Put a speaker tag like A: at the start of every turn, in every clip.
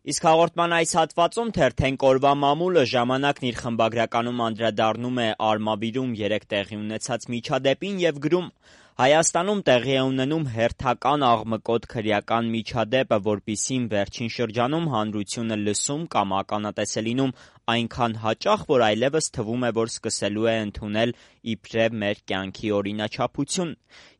A: Իսկ հաղորդման այս հատվածում թերթենք օրվա մամուլը ժամանակն իր խմբագրականում անդրադառնում է Արմավիրում 3 տեղի ունեցած միջադեպին եւ գրում. Հայաստանում տեղի է ունենում հերթական աղմկոտ քրեական միջադեպը, որպիսին վերջին շրջանում հանրությունը լսում կամ ականատես է լինում այնքան հաճախ, որ այլևս թվում է, որ սկսելու է ընդունել իբրև մեր կյանքի օրինաչափություն։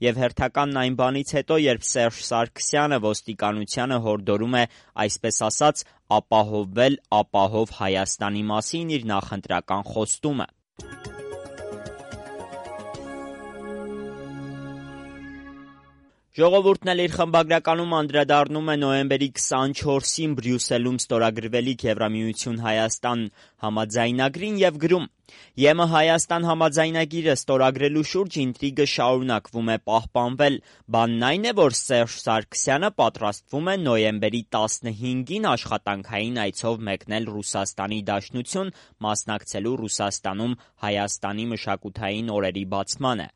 A: Եվ հերթականն այն բանից հետո, երբ Սերժ Սարգսյանը ոստիկանությանը հորդորում է, այսպես ասած, ապահովել ապահով Հայաստանի մասին իր նախընտրական խոստումը։ Ժողովուրդն էլ իր խմբագրականում անդրադառնում է նոյեմբերի 24-ին Բրյուսելում ստորագրվելիք Եվրամիություն-Հայաստան համաձայնագրին եւ գրում. ԵՄ Հայաստան համաձայնագիրը ստորագրելու շուրջ ինտրիգը շարունակվում է պահպանվել։ Բանն այն է, որ Սերժ Սարգսյանը պատրաստվում է նոյեմբերի 15-ին աշխատանքային այցով մեկնել Ռուսաստանի Դաշնություն, մասնակցելու Ռուսաստանում Հայաստանի մշակութային օրերի բացմանը։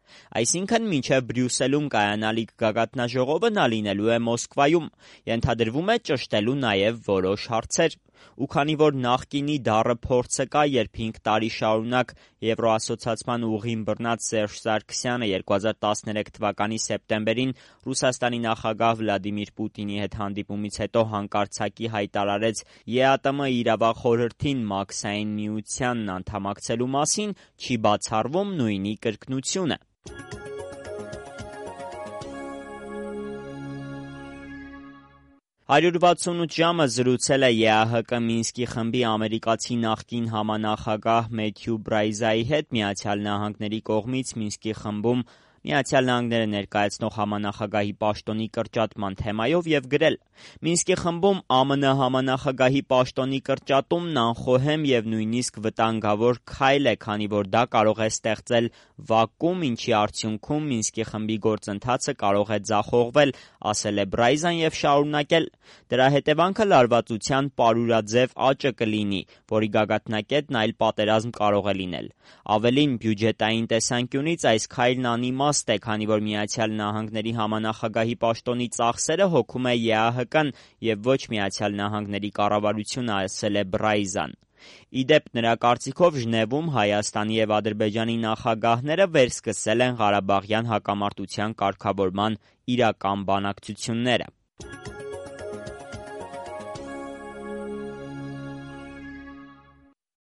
A: Այսինքն, մինչև Բրյուսելում կայանալիք գագաթնաժողովը նա լինելու է Մոսկվայում։ Ենթադրվում է ճշտելու նաև որոշ հարցեր։ Ու քանի որ նախկինի դառը փորձը կա, երբ 5 տարի շարունակ Եվրոասոցիացման ուղին բռնած Սերժ Սարգսյանը 2013 թվականի սեպտեմբերին Ռուսաստանի նախագահ Վլադիմիր Պուտինի հետ հանդիպումից հետո հանկարծակի հայտարարեց ԵԱՏՄ իրավախորհրդին Մաքսային միությանն անդամակցելու մասին, չի բացառվում նույնի կրկնությունը։ 168 ժամը զրուցել է ԵԱՀԿ Մինսկի խմբի ամերիկացի նախկին համանախագահ Մեթյու Բրայզայի հետ Միացյալ Նահանգների կողմից Մինսկի խմբում Միացյալ Նահանգները ներկայացնող համանախագահի պաշտոնի կրճատման թեմայով եւ գրել. Մինսկի խմբում ԱՄՆ համանախագահի պաշտոնի կրճատումն անխոհեմ եւ նույնիսկ վտանգավոր քայլ է, քանի որ դա կարող է ստեղծել վակուում, ինչի արդյունքում Մինսկի խմբի գործընթացը կարող է ձախողվել, ասել է Բրայզան եւ շարունակել. Դրա հետևանքը լարվածության պարուրաձև աճը կլինի, որի գագաթնակետն այլ պատերազմ կարող է լինել։ Ավելին, բյուջետային տեսանկյունից այս քայլն անիմաստ է, քանի որ Միացյալ Նահանգների համանախագահի պաշտոնի ծախսերը հոգում է ԵԱՀԿ-ն եւ ոչ Միացյալ Նահանգների կառավարությունը, ասել է Բրայզան։ Իդեպ նրա կարծիքով Ժնևում Հայաստանի եւ Ադրբեջանի նախագահները վերսկսել են Ղարաբաղյան հակամարտության կարգավորման իրական բանակցությունները։